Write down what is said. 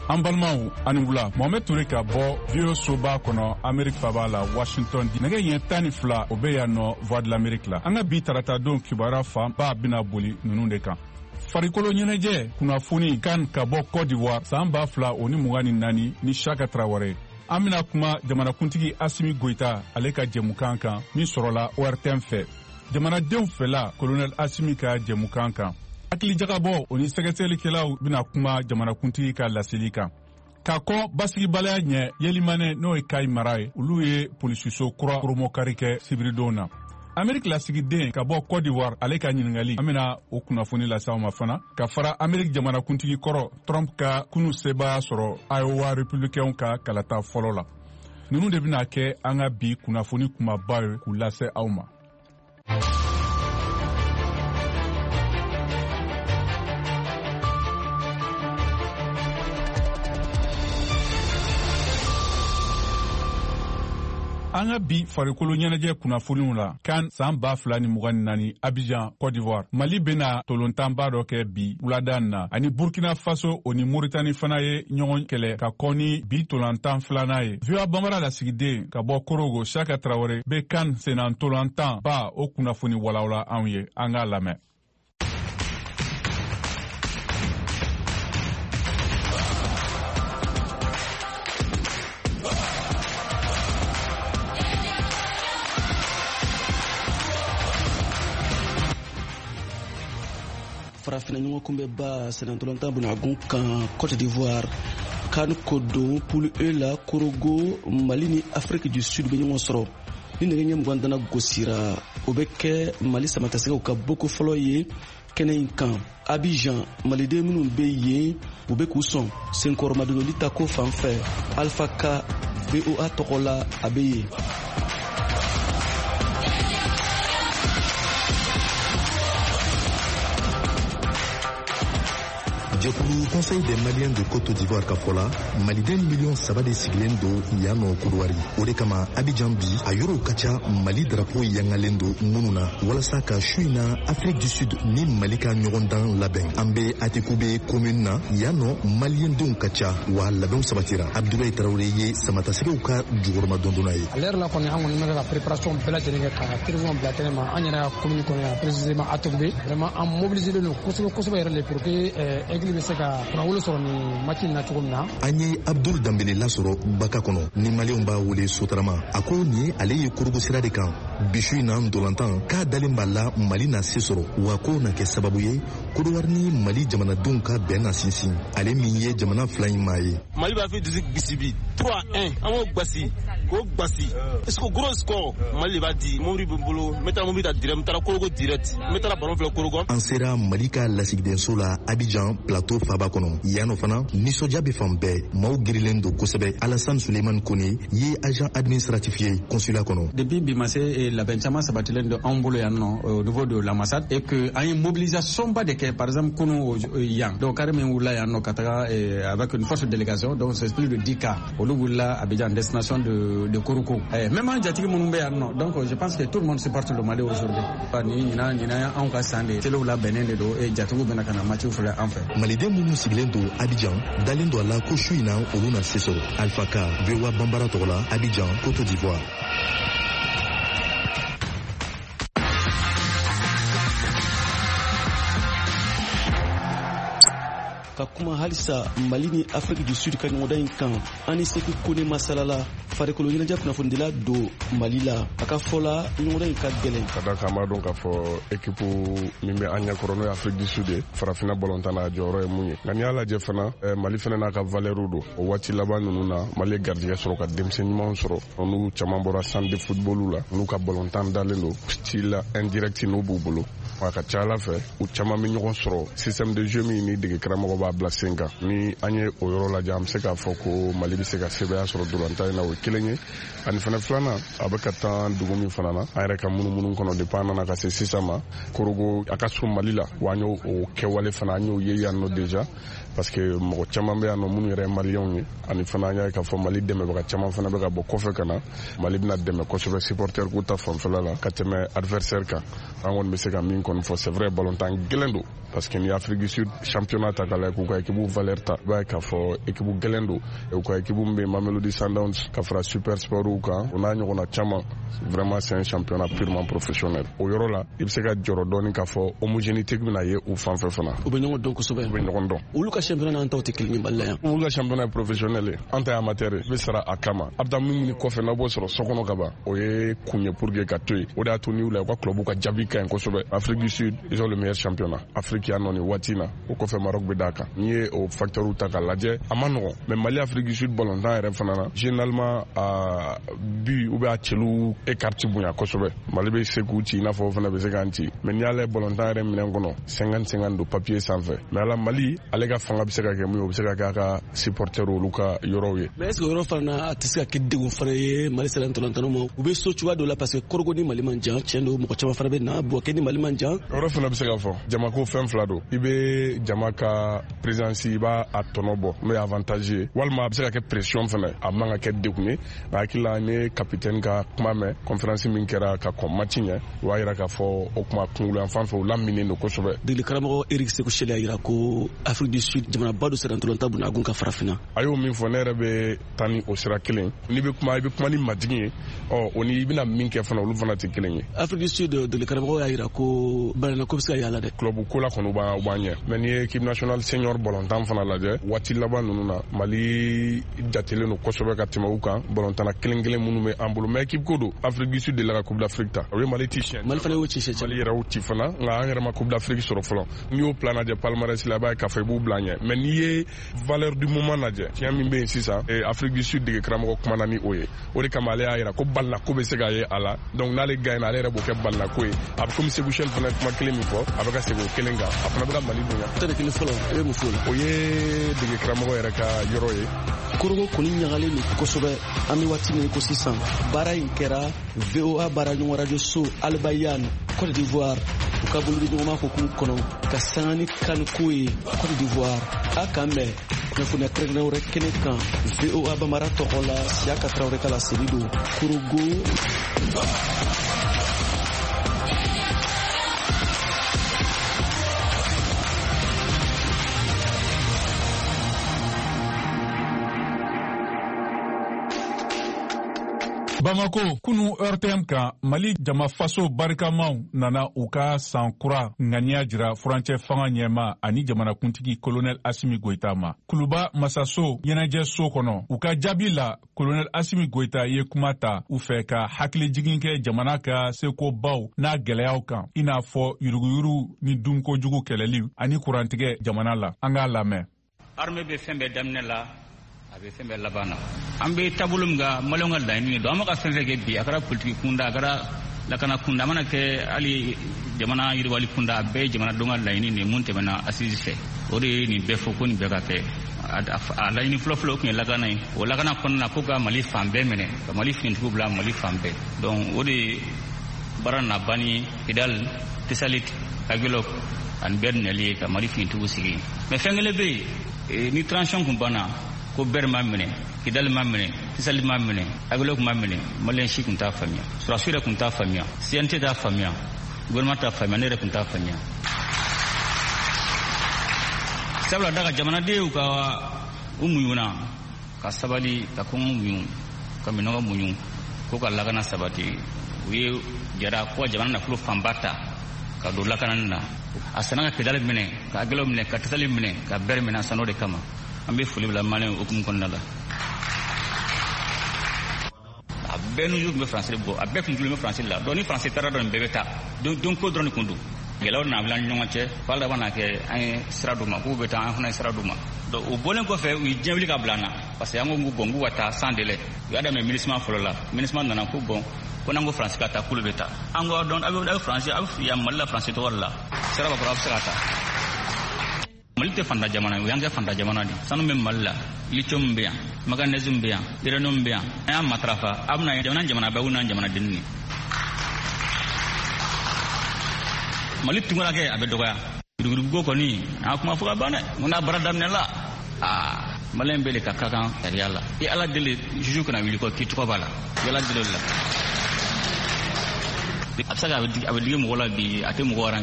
An balimaw, ani wula. Mohamed Ture ka bɔ VOA soba kɔnɔ, Amerique faba la, Washington. Nɛgɛ ɲɛ 12, o bɛ yan nɔ, Voix de l'Amérique la. An ka bi tarata don kibaruya fanba bɛna boli ninnu de kan: farikolo ɲɛnajɛ kunnafoni kan ka bɔ Cote d'Ivoire san 2024 ni Shaka Tarawele. An bɛna kuma jamanakuntigi Asimi Goyita, ale ka jɛmukan kan min sɔrɔla ORTM fɛ, jamanadenw fɛla, Colonel Asimi ka jɛmukan kan. Hakilijagabɔ o ni sɛgɛsɛgɛlikɛlaw bɛna kuma jamanakuntigi ka laseli kan. Ka kɔn basigibaliya ɲɛ Yelimanɛ, n'o ye Kayi mara ye, olu ye polisiso kura poromokari kɛ sibiridon na. Ameriki lasigiden ka bɔ Cote d'Ivoire, ale ka ɲiningali, an bena o kunnafoni lase aw ma fana, ka fara Ameriki jamanakuntigi kɔrɔ Trump ka kunu sebaya sɔrɔ Iowa républicainw ka kalata fɔlɔ la. Nunu de bena kɛ an ka bi kunnafoni kumaba ye k'u lase aw ma. An ka bi farikolo ɲɛnajɛ kunnafoniw la, kan san 2024, Abidjan, Cote d'Ivoire, Mali bena tolontanba dɔ kɛ bi wulada na ani Burkina Faso. O ni Moritani fana ye ɲɔgɔn kɛlɛ ka kɔn ni bi tolantan filanan ye. VOA Bambara lasigiden ka bɔ Korogo, Shaka Tarawele, be kan senan tolantan ba o kunnafoni walawala anw ye. An k'a lamɛn. Farafina ɲɔgɔnkunbɛba sennantolatan bonagun kan Cote d'Ivoire, CAN ko don, poule E la, Korogo, Mali ni Afrique du Sud bɛ ɲɔgɔn sɔrɔ ni nɛgɛ ɲɛ 20 dana gosira. O bɛ kɛ Mali samatasɛgɛw ka boko fɔlɔ ye kɛnɛ in kan Abidjan. Maliden minnu bɛ yen, u bɛ k'u sɔn senkɔrɔmadonali ta ko fan fɛ. Alpha Ka, VOA tɔgɔ la, a bɛ yen. Jɛkulu Conseil des Maliens de Côte d'Ivoire ka fɔ la, maliden miliyɔn 3 de sigilen don yan nɔ Kodowari. O de kama, Abidjan bi, a yɔrɔw ka ca Mali drapeau yangalen don minnu na, walasa ka su in na Afrique du Sud ni Mali ka ɲɔgɔndan labɛn. An bɛ Attécoubé commune na yan nɔ, maliyɛndenw ka ca wa labɛnw sabatira. Abdoulaye Tarawele ye samatasɛgɛw ka jukɔrɔma dondonna ye. À l'heure la kɔni, an kɔni bɛ ka préparation bɛɛ lajɛlen kɛ ka tribune bila kɛnɛ ma an yɛrɛ ka commune kɔnɔ yan, précisément Attécoubé. Vraiment, an mobilisé don kosɛbɛ kosɛbɛ yɛrɛ de pour que Aigle bɛ se ka kunnawolo sɔrɔ nin match in na cogo min na. An ye Abdul Danbele lasɔrɔ Baka kɔnɔ, ni maliyɛnw b'a wele Sotarama. A ko nin ye ale ye Korogo sira de kan bi su in na ntolantan, k'a dalen b'a la Mali na se sɔrɔ, wa k'o na kɛ sababu ye Kodowari ni Mali jamanadenw ka bɛn na sinsin, ale min ye jamana fila in maa ye. Mali b'a fɛ dusu gisi bi 3-1, an b'o gbasi k'o gbasi. Est-ce que gros score, Mali de b'a di. Mobili bɛ n bolo, n bɛ taa mobili ta direct, n bɛ taara Korogo direct, n bɛ taara ballon filɛ Korogo. An sera Mali ka lasigidenso la Abidjan, Plateau faba kɔnɔ. Yan nɔ fana, nisɔndiya bɛ fan bɛɛ, maaw girilen don kosɛbɛ. Alassane Suleiman Kone ye agent administratif ye consulat kɔnɔ. Depuis bi ma se, labɛn caman sabatilen don anw bolo yan nɔ au niveau de l'ambassade et que an ye mobilisation ba de kɛ. Par exemple, kunu yan, donc car min wulila yan nɔ ka taga avec une forte délégation, donc c'est plus de 10 cars, olu wulila Abidjan destination de Korhogo. Même an jatigi minnu bɛ yan nɔ, donc je pense que tout le monde supporte le Mali aujourd'hui. Ni ɲinan, ɲinan anw ka san de telew labɛnnen de don et jatigiw bɛna ka na match filɛ an fɛ. Maliden minnu sigilen don Abidjan dalen don a la ko su in na olu na se sɔrɔ. Alpha Ka, VOA Bambara tɔgɔ la, Abidjan, Côte d'Ivoire. Ka kuma halisa Mali ni Afrique du Sud ka ɲɔgɔndan in kan, an ni Seku Kone masalala, farikolo ɲɛnajɛ kunnafonidila don Mali la. A ka fɔ la, ɲɔgɔndan in ka gɛlɛn. Ka da kan, an b'a dɔn k'a fɔ équipe min bɛ an ɲɛkɔrɔ, n'o ye Afrique du Sud ye, farafinna balontan na, a jɔyɔrɔ ye mun ye. Nka n'i y'a lajɛ fana, Mali fana n'a ka valeur don. O waati laban ninnu na, Mali ye garijɛgɛ sɔrɔ ka denmisɛn ɲumanw sɔrɔ, n'u caman bɔra centre de football la, n'u ka balontan dalen don style indirect n'u b'u bolo. A ka ca ala fɛ, u caman bɛ ɲɔgɔn sɔrɔ système de jeu min ni dege karamɔgɔ b'a bila sen kan. Ni an ye o yɔrɔ lajɛ, an bɛ se k'a fɔ ko Mali bɛ se ka sebaaya sɔrɔ dolantan in na. O ye kelen ye. Ani fana filanan, a bɛ ka taa dugu min fana na, an yɛrɛ ka munumunu kɔnɔ depuis an nana ka se sisan ma, Korogo a ka surun Mali la, wa an y'o kɛwale fana, an y'o ye yan nɔ déjà, parce que mɔgɔ caman bɛ yan nɔ minnu yɛrɛ ye maliyɛnw ye. Ani fana an y'a ye k'a fɔ Mali dɛmɛbaga caman fana bɛ ka bɔ kɔfɛ ka na. Mali bɛna dɛmɛ kosɛbɛ supporter ko ta fanfɛla la ka tɛmɛ adversaire kan. An kɔni bɛ se ka min kɔni fɔ, c'est vrai, balontan gɛlɛn don, parce que ni Afrique du Sud championnat ta k'a lajɛ, k'u ka équipe valeur ta, i b'a ye k'a fɔ équipe gɛlɛn don. U ka équipe min bɛ Mamelodi Sundowns ka fara Super Sport kan, o n'a ɲɔgɔnna caman, vraiment c'est un championnat purement professionnel. O yɔrɔ la, i bɛ se ka jɔrɔ dɔɔni k'a fɔ homogénéité bɛna ye u fan fɛ fana. U bɛ ɲɔgɔn dɔn kosɛbɛ. U bɛ ɲɔgɔn dɔn. Olu ka championnat n'an taw tɛ kelen ye Mali la yan. Olu ka championnat ye professionnel ye, an ta ye amateur ye. I bɛ sara a kama. A bɛ taa min ɲini kɔfɛ, n'aw b'o sɔrɔ so kɔnɔ ka ban, o ye kun ye pour que ka to yen. O de y'a to n'i y'u lajɛ, u ka club ka jaabi ka ɲi kosɛbɛ. Afrique du Sud, ils ont le meilleur championnat Afrique yan nɔ nin waati in na. O kɔfɛ, Maroc bɛ d'a kan. N'i ye o facteur ta k'a lajɛ, a ma nɔgɔn. Mais Mali Afrique du Sud balontan yɛrɛ fana na, généralement a but ou bien a cɛlu écart ti bonya kosɛbɛ. Mali bɛ se k'u ci i n'a fɔ o fana bɛ se k'an ci. Mais n'i y'a lajɛ balontan yɛrɛ minɛn kɔnɔ, 50-50 don papier sanfɛ. Mais ala Mali ale ka fanga bɛ se ka kɛ mun ye, o bɛ se ka kɛ a ka supporter olu ka yɔrɔw ye. Mais est ce que yɔrɔ fana a tɛ se ka kɛ degun fana ye Mali sera ntolantanaw ma? U bɛ so cogoya dɔ la, parce que Korogo ni Mali man jan, tiɲɛ don, mɔgɔ caman fana bɛ na Bouaké ni Mali man jan. Yɔrɔ fana bɛ se ka fɔ jamako fɛn fila don. I bɛ jama ka présence, i b'a a tɔnɔ bɔ, n'o ye avantage ye, walima a bɛ se ka kɛ pression fana, a man ka kɛ degun ye. Nka hakili la, ne capitaine ka kuma mɛn conférence min kɛra ka kɔn match ɲɛ, o b'a yira k'a fɔ o kuma kunkolo yan fan fɛ, u laminen don kosɛbɛ. Degeli karamɔgɔ Eric Sékou Chelle y'a yira ko Afrique du Sud jamanaba dɔ sera ntolatan bunagun ka farafinna. A y'o min fɔ, ne yɛrɛ bɛ taa ni o sira kelen. N'i bɛ kuma, i bɛ kuma ni majigin ye, ɔ o ni i bɛna min kɛ fana, olu fana tɛ kelen ye. Afrique du Sud degeli karamɔgɔ y'a yira ko balana ko bɛ se ka yala dɛ. Club ko la kɔni, u b'an ɲɛ. Mais n'i ye équipe nationale senior balontan fana lajɛ, waati laban ninnu na, Mali jatelen don kosɛbɛ ka tɛmɛ u kan, balontanna kelen kelen minnu bɛ an bolo. Mais équipe ko don, Afrique du Sud delila ka Coupe d'Afrique ta, o ye Mali ci siɲɛ. Mali fana y'o ci siɲɛ. Mali yɛrɛ y'o ci fana, nka an yɛrɛ ma Coupe d'Afrique sɔrɔ fɔlɔ. N'i y'o plan lajɛ palmarès la, i b'a ye k'a fɔ i b'u bila ɲɛ. Mais n'i ye valeur du moment lajɛ, tiɲɛ min bɛ yen sisan, Afrique du Sud dege karamɔgɔ kumana ni o ye. O de kama ale y'a yira ko balina ko bɛ se ka ye a la. Donc n'ale gagne, ale yɛrɛ b'o kɛ balina ko ye. A bɛ komi Sékou Chelle fana kuma kelen min fɔ, a bɛ ka segin o kelen kan, a fana bɛ ka Mali bonya. 11 fɔlɔ, e bɛ mun fɔ o la? O ye dege karamɔgɔ yɛrɛ ka yɔrɔ ye. Korogo kɔni ɲagalen don kosɛbɛ an bɛ waati min ko sisan. Baara in kɛra VOA baara ɲɔgɔn radio so Albayan Côte d'Ivoire, u ka bolodiɲɔgɔnma hukumu kɔnɔ ka sanga ni CAN ko ye Côte d'Ivoire. A k'an bɛn kunnafoniya kɛrɛnkɛrɛn wɛrɛ kɛnɛ kan VOA Bambara tɔgɔ la, Siyaka Tarawele ka laseli don Korogo. Bamako, kunu RTM kan, Mali jama faso barikamaw nana u ka san kura ŋaniya jira furancɛ fanga ɲɛma ani jamanakuntigi Colonel Assimi Goïta ma. Kuluba masaso ɲɛnajɛso kɔnɔ, u ka jaabi la, Colonel Assimi Goïta ye kuma ta u fɛ ka hakilijigin kɛ jamana ka sekobaw n'a gɛlɛyaw kan, i n'a fɔ yuruguyurugu ni dunkojugu kɛlɛli ani kurantigɛ jamana la. An k'a lamɛn. Armée bɛ fɛn bɛɛ daminɛ la, a bɛ fɛn bɛɛ laban na. An bɛ taabolo min kan, maliyɛnw ka laɲini don. An bɛ ka fɛn fɛn kɛ bi, a kɛra politiki kunda, a kɛra lakana kunda, a mana kɛ hali jamana yiriwali kunda, a bɛɛ ye jamanadenw ka laɲini de ye mun tɛmɛna assise fɛ. O de ye nin bɛɛ fɔ ko nin bɛɛ ka kɛ. A laɲini fɔlɔfɔlɔ, o tun ye lakana ye. O lakana kɔnɔna na, ko ka Mali fan bɛɛ minɛ, ka Mali finitigiw bila Mali fan bɛɛ. Donc o de ye baara nana ban ni Kidal, Tessalit, Aguelhok ani bɛɛ minɛli ye ka Mali finitigiw sigi. Mais fɛn kelen bɛ yen, ni transition kun banna ko Ber ma minɛ, Kidal ma minɛ, Tessalit ma minɛ, Aguelhok ma minɛ, maliyɛn si tun t'a faamuya, sɔrɔdasiw yɛrɛ tun t'a faamuya, CNT t'a faamuya, gouvernement t'a faamuya, ne yɛrɛ tun t'a faamuya. Sabula da ka jamanadenw ka u muɲuna ka sabali, ka kɔngɔ muɲu, ka minɔgɔ muɲu, ko ka lakana sabati. U ye jara ko ka jamana nafolo fanba ta ka don lakanani na. A sanna ka Kidal minɛ, ka Aguelhok minɛ, ka Tessalit minɛ, ka Ber minɛ, a san'o de kama. An bɛ foli bila maliyɛn hukumu kɔnɔna la. A bɛɛ n'u tun bɛ faransi bɔ, a bɛɛ kun tulo bɛ faransi la. Donc ni faransi taara dɔrɔn, bɛɛ bɛ taa. Don ko dɔrɔn de kun don. Gɛlɛyaw nana bila an ni ɲɔgɔn cɛ, f'a laban na kɛ an ye sira d'u ma, k'u bɛ taa, an fana ye sira d'u ma. Donc o bɔlen kɔfɛ, u ye diɲɛ wuli ka bila an na, parce que an ko bon, k'u ka taa sans délai. U y'a daminɛ MINUSMA fɔlɔ la. MINUSMA nana ko bon, ko n'an ko faransi ka taa, k'olu bɛ taa. An ko dɔn, aw bɛ faransi, aw bɛ yan Mali la faransi tɔgɔ de la, sira b'a kɔrɔ, aw bɛ se ka taa. Mali tɛ fanta jamana ye, o y'an kɛ fanta jamana de. Sanu bɛ Mali la, lithium bɛ yan, manganèse bɛ yan, uranium bɛ yan. An y'a matarafa, a bɛna jamana jamana bɛɛ n'an jamanadenw ye. Mali tunkarakɛ a bɛ dɔgɔya. Yuruguyuruguko kɔni, an kuma fɔ ka ban dɛ. Mun n'a baara daminɛ la, aa maliyɛn bɛɛ de ka kan sariya la. I Ala deli juge kana wuli kɔ k'i tɔgɔ b'a la. I Ala deli o de la. A bɛ se ka a bɛ digi mɔgɔ la bi, a tɛ mɔgɔ arranger.